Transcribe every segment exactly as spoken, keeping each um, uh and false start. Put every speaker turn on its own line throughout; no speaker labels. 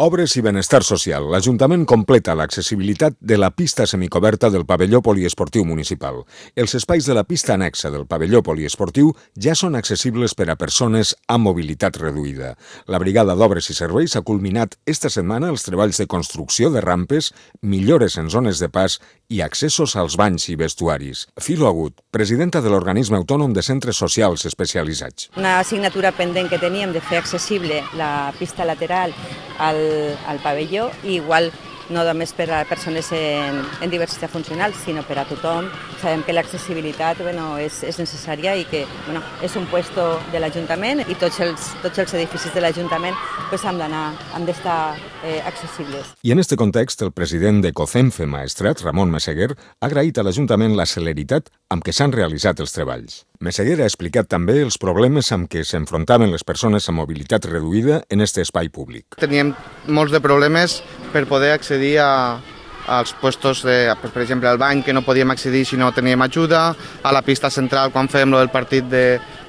Obres i benestar social. L'Ajuntament completa l'accessibilitat de la pista semicoberta del pavelló poliesportiu municipal. Els espais de la pista anexa del pavelló poliesportiu ja són accessibles per a persones amb mobilitat reduïda. La Brigada d'Obres i Serveis ha culminat esta setmana els treballs de construcció de rampes, millores en zones de pas i accessos als banys i vestuaris. Filo Agut, presidenta de l'Organisme Autònom de Centres Socials Especialitzats.
Una assignatura pendent que teníem de fer accessible la pista lateral al, al pavelló, i igual no només per a persones en, en diversitat funcional, sinó per a tothom. Sabem que l'accessibilitat bueno, és, és necessària i que bueno, és un puesto de l'Ajuntament i tots els, tots els edificis de l'Ajuntament pues, han d'anar, han d'estar eh, accessibles.
I en este context, el president de COCENFE Maestrat, Ramon Meseguer, ha agraït a l'Ajuntament la celeritat amb què s'han realitzat els treballs. Meseguer ha explicat també els problemes amb què s'enfrontaven les persones amb mobilitat reduïda en este espai públic.
Teníem molts de problemes per poder accedir a, als puestos, de, per exemple, al bany, que no podíem accedir si no teníem ajuda, a la pista central quan fèiem el partit de,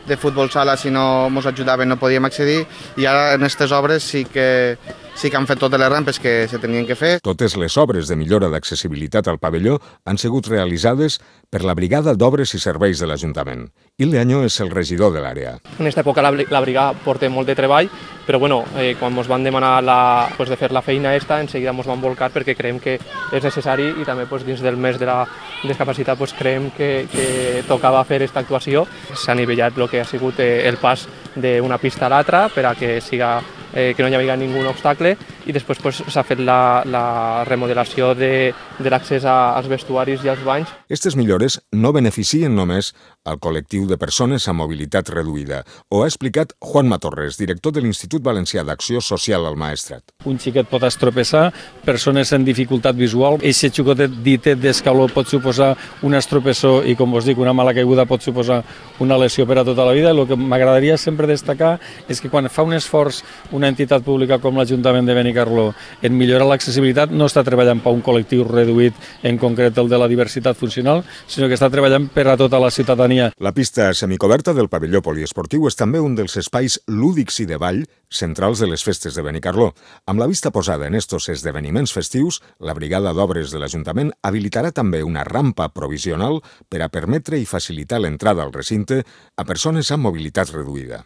de futbol sala, si no ens ajudaven no podíem accedir, i ara en aquestes obres sí que, sí que han fet totes les rampes que se tenien que fer.
Totes les obres de millora d'accessibilitat al pavelló han sigut realitzades per la Brigada d'Obres i Serveis de l'Ajuntament. Il Leaño és el regidor de l'àrea.
En aquesta època la, la brigada porta molt de treball, però bueno, eh, quan ens van demanar la, pues, de fer la feina esta, enseguida ens van volcar perquè creiem que és necessari i també pues, dins del mes de la discapacitat pues, creiem que, que tocava fer aquesta actuació. S'ha nivellat el que ha sigut eh, el pas d'una pista a l'altra per a que siga Eh, que no hi havia ningú obstacle, i després pues, s'ha fet la, la remodelació de, de l'accés als vestuaris i als banys.
Aquestes millores no beneficien només al col·lectiu de persones amb mobilitat reduïda. Ho ha explicat Juanma Torres, director de l'Institut Valencià d'Acció Social al Maestrat.
Un xiquet pot estropeçar, persones amb dificultat visual, eixe xicotet ditet d'escaló pot suposar un estropeçó i, com vos dic, una mala caiguda pot suposar una lesió per a tota la vida. El que m'agradaria sempre destacar és que quan fa un esforç una entitat pública com l'Ajuntament de Benicarló en millorar l'accessibilitat, no està treballant per un col·lectiu reduït, en concret el de la diversitat funcional, sinó que està treballant per a tota la ciutadania.
La pista semicoberta del pavelló poliesportiu és també un dels espais lúdics i de ball centrals de les festes de Benicarló. Amb la vista posada en estos esdeveniments festius, la Brigada d'Obres de l'Ajuntament habilitarà també una rampa provisional per a permetre i facilitar l'entrada al recinte a persones amb mobilitat reduïda.